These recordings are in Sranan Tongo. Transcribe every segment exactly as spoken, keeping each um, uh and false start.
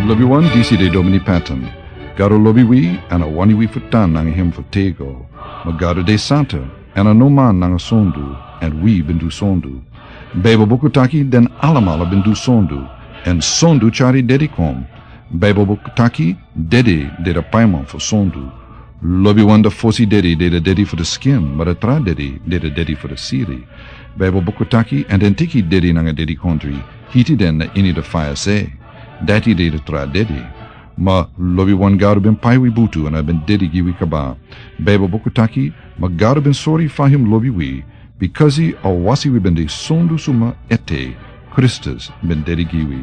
Lobiwan, disi de Domini Patton. Gado lobi wi, èn a wani wi fu tan nanga hem fu tego. Ma Gado de santa, èn a no man nanga sondu, èn wi ben du sondu. Baibel buku taki den alamala ben du sondu, èn sondu tyari dedi kon. Baibel buku taki dedi de da paiman fu sondu. Lobiwan, da fosi dedi de da dedi fu da skin, ma da tra dedi de da dedi fu da siri. Baibel buku taki, èn den teki dedi nanga dedikondri, hiti den na ini da faya se. Dati de da tra dedi. Ma lobiwan, Gado ben pai wi butu èn a ben dedi gi wi kaba. Baibel buku taki, ma Gado ben sori fa hem lobi wi, bikasi a wasi wi ben de sondu suma ete, Kristus ben dedi gi wi.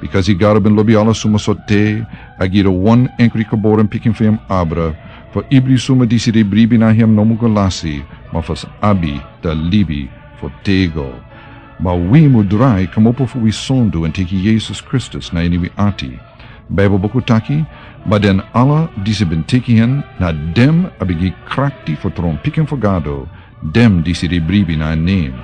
Bikasi Gado ben lobi ala suma so te, a gi da wan enkri geboren pikin fu hem abra, fu ibri suma disi de bribi na hem no mu go lasi, ma fu sa abi da libi fu tego. Ma wi mu drai kmopo fu wi sondu èn teki Yesus Kristus na ini wi ati. Baibel buku taki, ma den ala disi ben teki hen, na den a ben gi krakti fu tron pikin fu Gado, den disi de bribi na en nen.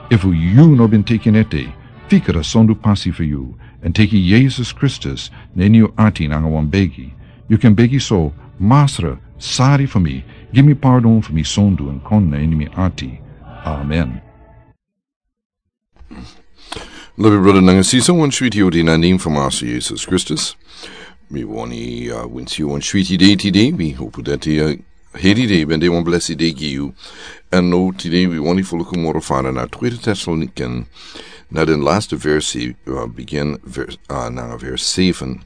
Efu yu no ben teki en ete, fika da sondu pasi fu yu, èn teki Yesus Kristus na ini yu ati nanga wan begi. Yu kan begi so: Masra, sari fu mi, gi mi pardon fu mi sondu èn kon na ini mi ati. Amen. Lobi brada nanga sisa, wan switi odi na nen fu Masra Yesus Kristus. Mi wani, uh, winsi yu wan switi dei tide. Mi hopu dati, uh, heri dei ben de wan blesi dei gi yu. Èn now tide mi wani fu luku moro fara na Tweede Tessalonikan, na den laste versi, uh, bigin vers, uh, nanga vers seven.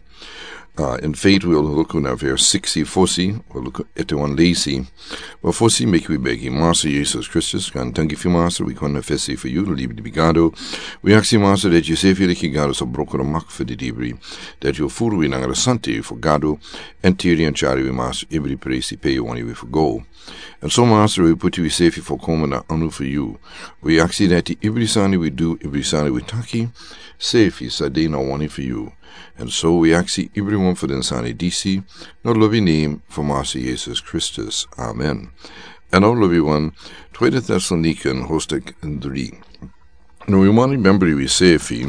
Uh, in feite wi o luku na vers siksi fosi, wi o luku ete wan leisi. Ma fosi meki wi begi. Masra Yesus Kristus, kan danki fu Masra, wi kon na fesi fu yu, libi di bigado. Wi aksi Masra dati yu sefi leki Gado sa broko na mak fu di dibri. Dati yu furu wi nanga da santa fu Gado, èn tiri èn tyari wi Masra ibri presi pe yu wani wi fu go. Èn so Masra wi puti wi sefi fu koma na anu fu yu. Wi aksi dati ibri sani wi du, ibri sani wi taki, sefi sa de na wani fu yu. Èn so wi aksi ibriwan fu den sani disi, na lobi nen fu Masra Yesus Kristus. Amen. Èn now lobiwan, Tweede Tessalonikan hoofdstuk dri. Now wi wani member wi sefi,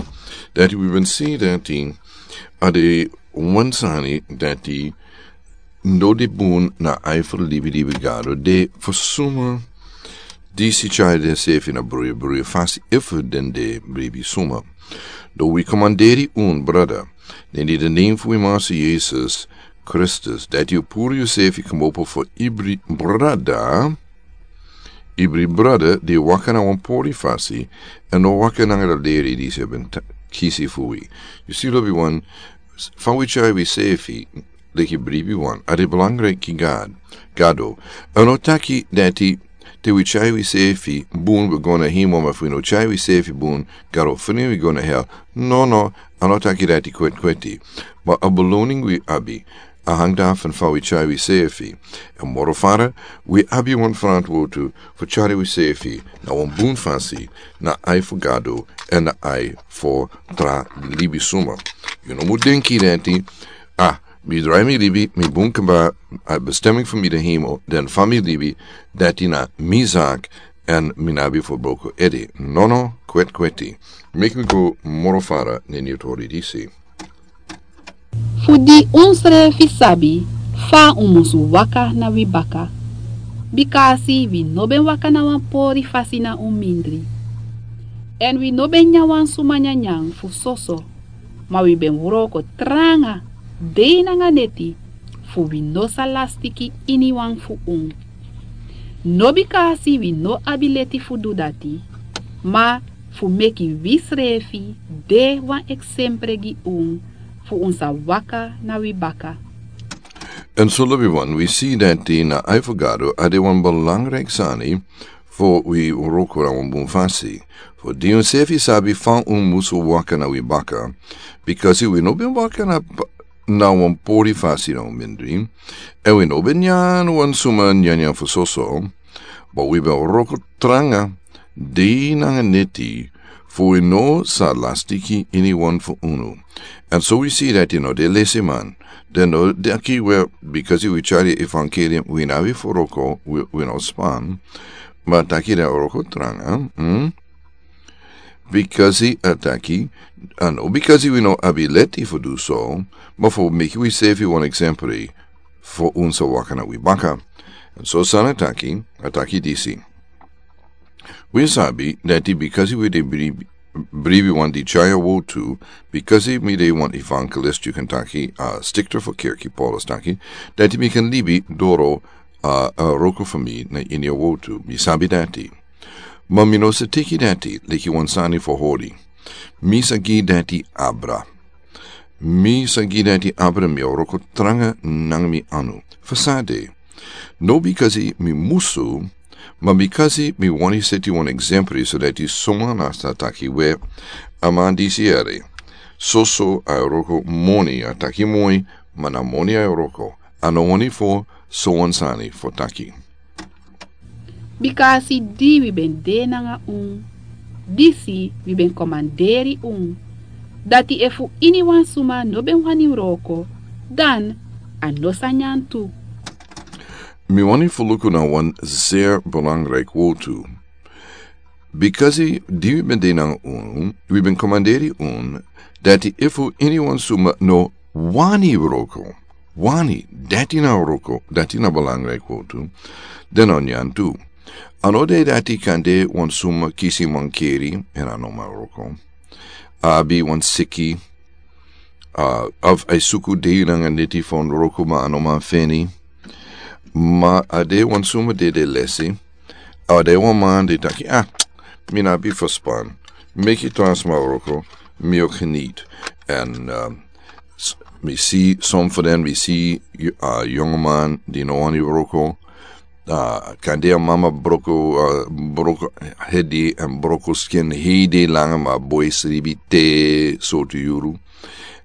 dati wi ben si dati a de wan sani dati no de bun na ai fu libi di bigado de fu suma disi tyari den sefi na bruya bruya fasi efu den de bribi suma. Now wi komanderi un brada, na ini da nen fu wi Masra Yesus Kristus, dati yu puru yu sefi kmopo fu ibri brada, ibri brada di waka na wan pori fasi, èn no waka nanga da leri disi ben ta-, kisi fu wi. Yu si lobiwan, s-, fa wi tyari wi sefi leki bribiwan, a de belangrijk gi Gado. Gado. A no taki dati te wi tyari wi sefi bun wi go na hemel, ma fu wi no tyari wi sefi bun, Gado feni wi go na hel. No, no, a no taki dati kweti kweti. Ma a beloning wi abi, a hang dafu fa wi tyari wi sefi. Èn moro fara, wi abi wan ferantwortu fu tyari wi sefi na wan bun fasi, na ai fu Gado, èn na ai fu tra libisuma. Yu no mu denki dati, ah, mi drai mi libi, mi bun kaba, a bestemming fu mi de hemel, dan fa mi libi, dati na mi zak, èn mi no abi fu broko ede. No, no, kweti kweti. Meki mi go moro fara na ini yu tori disi. Fu di unsrefi sabi fa un musu waka na wi baka. Bikasi wi no ben waka na wan pori fasi na un mindri. Èn wi no ben nyan wan suma nyanyan fu soso. Ma wi ben wroko tranga, dei nanga neti, fu wi no sa lastiki iniwan fu un. No bikasi wi no abi leti fu du dati, ma fu meki wisrefi de wan eksempre gi un, fu un sa waka na wi baka. Èn so lobiwan, wi si dati na ai fu Gado a de wan belangrijk sani, fu wi wroko na wan bun fasi. Fu di unsefi sabi fa un musu waka na wi baka. Bikasi wi no ben waka na, na wan pori fasi na un mindri. Èn wi no ben nyan wan suma nyanyan fu soso. Ma wi ben wroko tranga, dei nanga neti, fu wi no sa lastiki iniwan fu unu. Èn so wi si dati no de lesiman. Den no taki we, bikasi wi tyari evangelium, wi no abi fu wroko, wi, wi no span. Ma taki den wroko tranga, hmm? Bikasi a taki, a no bikasi wi no abi leti fu du so, ma fu meki wi sefi wan eksempel fu un sa waka na wi baka. Èn so san a taki, a taki disi. Wi sabi dati bikasi wi de bribi, bribi wan di tyai a wortu, bikasi mi de wan evangelist, yu kan taki, a stikter fu kerki, Paulus taki, dati mi kan libi doro a, a wroko fu mi na ini a wortu. Mi sabi dati. Ma mi no sa teki dati leki wan sani fu hori. Mi sa gi dati abra. Mi sa gi dati abra, mi e wroko tranga nanga mi anu. Fu san de? No bikasi mi musu, ma bikasi mi wani seti wan eksempel, so dati suma na sa taki we, a man disi ere. Soso a e wroko moni, a taki moi, ma na moni a e wroko. A no wani fu so wan sani fu taki. Bikasi di wi ben de nanga un, disi wi ben komanderi un, dati efu iniwan suma no ben wani wroko, dan a no sa nyan tu. Mi wani fu luku na wan zeer belangrijk wortu. Bikasi di wi ben de nanga un, wi ben komanderi un, dati efu iniwan suma no wani wroko. Wani, dati na wroko, dati na belangrijk wortu. Dan a no nyan tu. A no de dati kande wan suma kisi mankeri, èn a no man wroko. A abi wan siki, a, of a e suku dei nanga neti fu wroko, ma a no man feni. Ma a de wan suma dede lesi. A de wan man di taki, a, mi no abi fu span. Meki transma wroko, mi o geniet. Èn, a, s-, mi si, som fu den, mi si, a, yongu man di no wani wroko. A, kande a mama broko, a, broko hedi èn broko skin hei dei langa, ma a boi sribi te sortu yuru.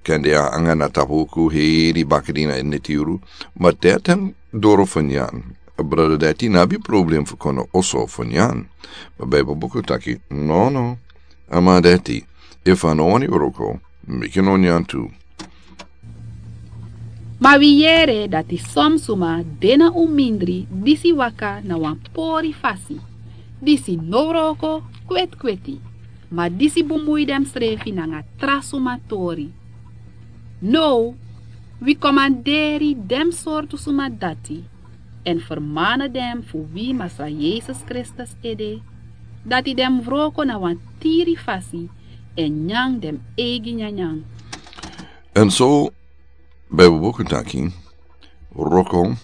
Kande a anga na tapu uku heri bakadina e neti yuru. Ma te a tan doro fu nyan. A brada dati no abi problem fu kon na oso fu nyan. Ma Bijbel buku taki, no, no. A man dati, efu a no wani wroko, meki a no nyan tu. Ma wi yere dati som suma de na un mindri disi waka na wan pori fasi. Disi no wroko kwetkweti. Ma disi bumui densrefi nanga tra suma tori. Now, wi komanderi den sortu suma dati, èn fermana den fu wi Masra Yesus Kristus ede, dati den mus wroko na wan tiri fasi, èn nyan den eigi nyanyan. Èn so, Bijbel buku taki, wroko,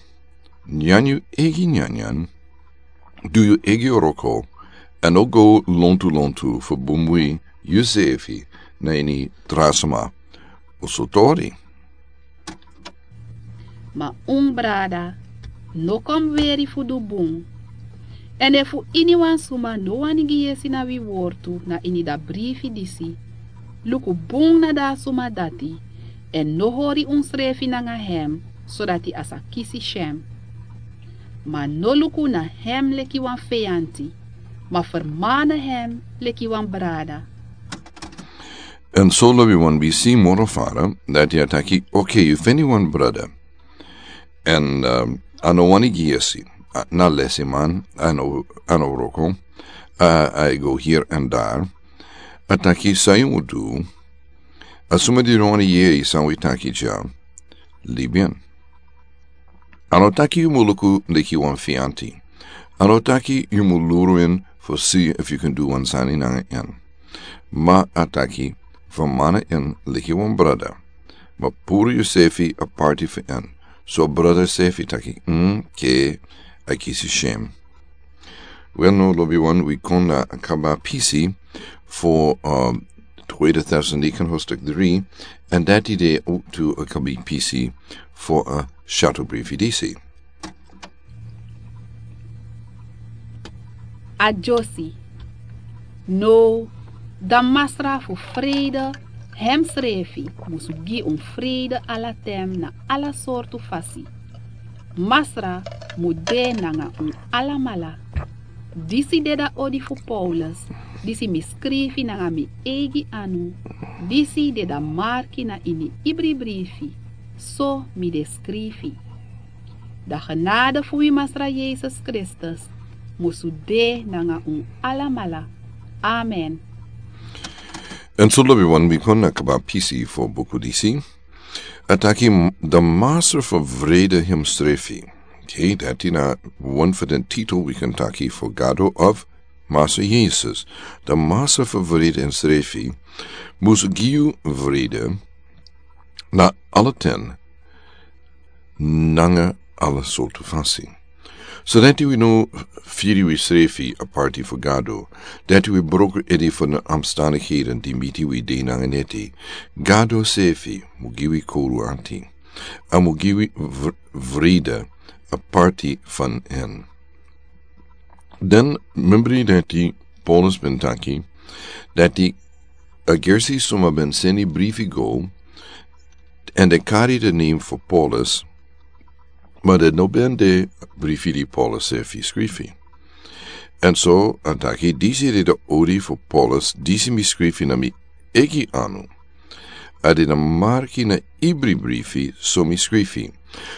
nyan yu eigi nyanyan, du yu eigi wroko, èn no go lontu lontu fu bumui yusefi na ini tra suma oso tori. Ma un brada, no kon weri fu du bun. Èn efu iniwan suma no wani gi yesi na wi wortu na ini da brifi disi, luku bun na da suma dati, èn no hori unsrefi nanga hem, sodati a sa kisi syen. Ma no luku na hem leki wan feyanti, ma fermana hem leki wan brada. Èn so lobiwan, wi si moro fara dati a taki, oké, yu feni wan brada. Èn, um, a no wani gi yesi, a, na lesiman, a no, a no wroko, a, a e go hier èn dar. A taki san yu mus du, a suma di no wani yeri san wi taki dya, libi en. A no taki yu mus luku leki wan feyanti. A no taki yu mus luru en fu si efu yu kan du wan sani nanga en. Ma a taki, fermana en leki wan brada. Ma puru yusefi aparti fu en. So brada sefi taki, mm, ke, a kisi syen. Wel, now lobiwan, wi kon na a kaba pisi fu, um, Tweede Thessalonican hoofdstuk drie, èn dati de ook tu a kaba pisi fu a shadow brifi disi. A dyosi. Now, da Masra fu freide hemsrefi musu gi un freide ala ten na ala sortu fasi. Masra mu de nanga un alamala. Disi de da odi fu Paulus, disi mi skrifi nanga mi eigi anu, disi de da marki na ini ibri brifi, so mi de skrifi. Da genade fu wi Masra Yesus Kristus musu de nanga un alamala. Amen. En so lobi wan wi kon na kaba pisi fo buku disi. A taki, "The Master for Vrede himsrefi." Okay, dati na wan for den titel wi kan taki for Gado of Master Jesus. The Master for Vrede himsrefi mus gi yu vrede na ala ten nanga ala sortu fasi. So dati wi no firi wi srefi a parti fu Gado, dati wi broko edi fu na omstandigheden di miti wi de nanga neti. Gado sefi mu gi wi koru anti. A mu gi wi vr-, vrede a parti fan en. Den membri dati Paulus ben taki, dati a gersi suma ben seni brifi go, en de kari de name fu Paulus, ma de no ben de brifi di Paulus sefi skrifi. En so, a taki, disi de de ori fu Paulus, disi mi skrifi na mi egi anu. A de na marki na ibri brifi, so mi skrifi.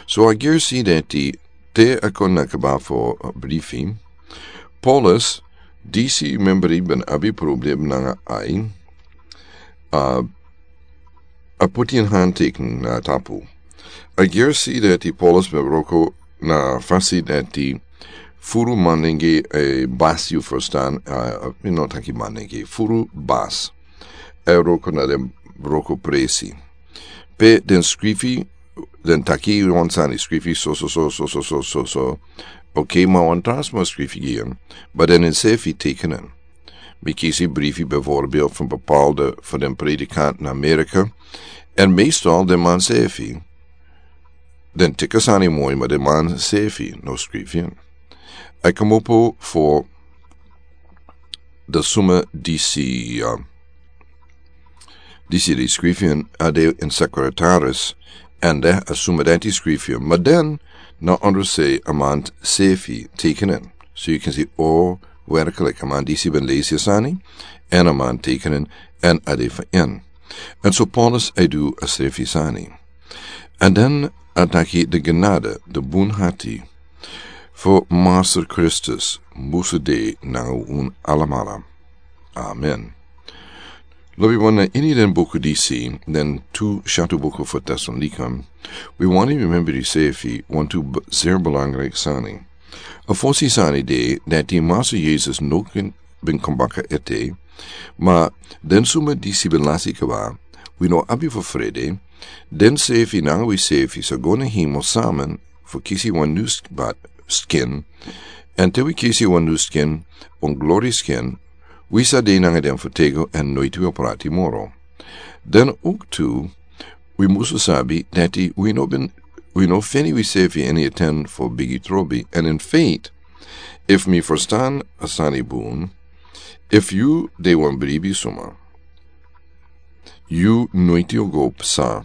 So a gersi dati te a kon na kaba fo, uh, brifi. Paulus, disi membri ben abi problem nanga ai. Uh, a puti en handteken na tapu. A gersi dati Paulus ben broko na fasi dati furu manenge e bas yu verstan, uh, you know, taki manenge, furu bas. E broko na den broko presi. Pe den skrifi, den taki wan sani skrifi so, so, so. Okay, ma wan transma skrifi gi en, ma den en sefi tekenen. Mi kisi brifi bijvoorbeeld van bepaalde van den predikant na Amerika. En meestal den man sefi. Den teki sani moi, ma den man sefi no skrifi en. A komopo fu de suma disi, uh, disi di skrifi en a de en sekretaris, en de a suma dati skrifi en, ma den na ondro se a man sefi tekenen. So you can see, oh, werkelijk, a man disi ben lesi sani, en a man tekenen, en a de fa en. En so Paulus a du a sefi sani. En den a taki de genade, de bun hati, fu Master Kristus musu de nanga un alamala. Amen. Lobi wan, na ini den buku disi, den tu shatu buku fu Thessalonica, wi wani remember di sefi wantu b-, zeer belangrijk sani. A fosi sani de dati Master Jesus no kin ben kon baka ete, ma den suma disi ben lasi kaba, wi no abi fu frede, den sefi nanga wi sefi sa go na hemel samen fu kisi wan nu sk-, bat skin, en te wi kisi wan nu skin, wan glori skin, wi sa de nanga den fu tego en noiti wi o prati moro. Den ook tu, wi musu sabi dati wi no ben, wi no feni wi sefi ini a ten fu bigi trobi, en in faith, if mi verstan a sani bun, if yu de wan bribi suma, yu noiti o go psa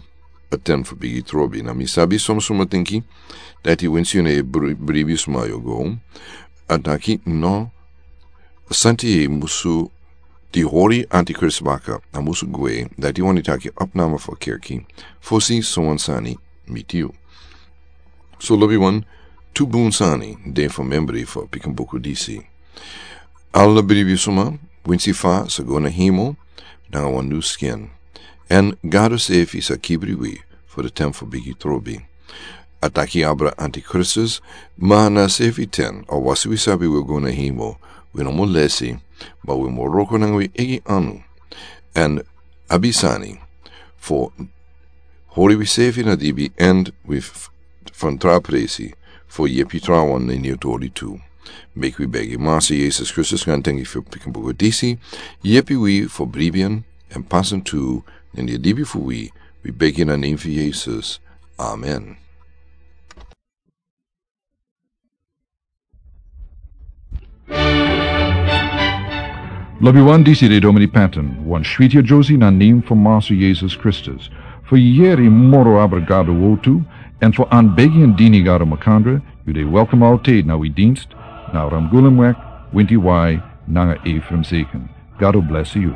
a ten fu bigi trobi. Na mi sabi suma suma tinki dati winsi yu na e bri-, bribi suma yu o go. A taki no, santi e musu di hori antikrist baka, a musu gwe, dati wani taki opname fu kerki, fosi so wan sani miti yu. So lobi wan, tu bun sani de fu membri fu pikin buku disi. Ala bribi suma, winsi fa sa go na hemel nanga wan nu skin. En Gado sefi sa kibri wi fu de ten fu bigi trobi. A taki abra antikristus, ma na sefi ten, a wasi wi sabi wi o go na hemel, wi no mu lesi, ma wi mu wroko nanga wi egi anu. En abi sani fu hori wi sefi na dibi, en wi f-, fan tra presi fu yepi trawan na ini a tori tu. Meki wi begi Master Jesus Kristus, gan tengi fu pikin buku disi, yepi wi fu bribi en, en pasen tu na ini a dibi fu wi, wi begi na name fu Jesus. Amen. Lobi wan, disi de Domini Patton, wan switi a Josie na name fu Master Jesus Kristus. Fu yeri moro abra Gado wortu, en fu anbegi en dini Gado makandra, yu de welkom altijd na wi dienst, na Ramgulemweg, winti wai, nanga Ephraim Zeken. Gado bless yu.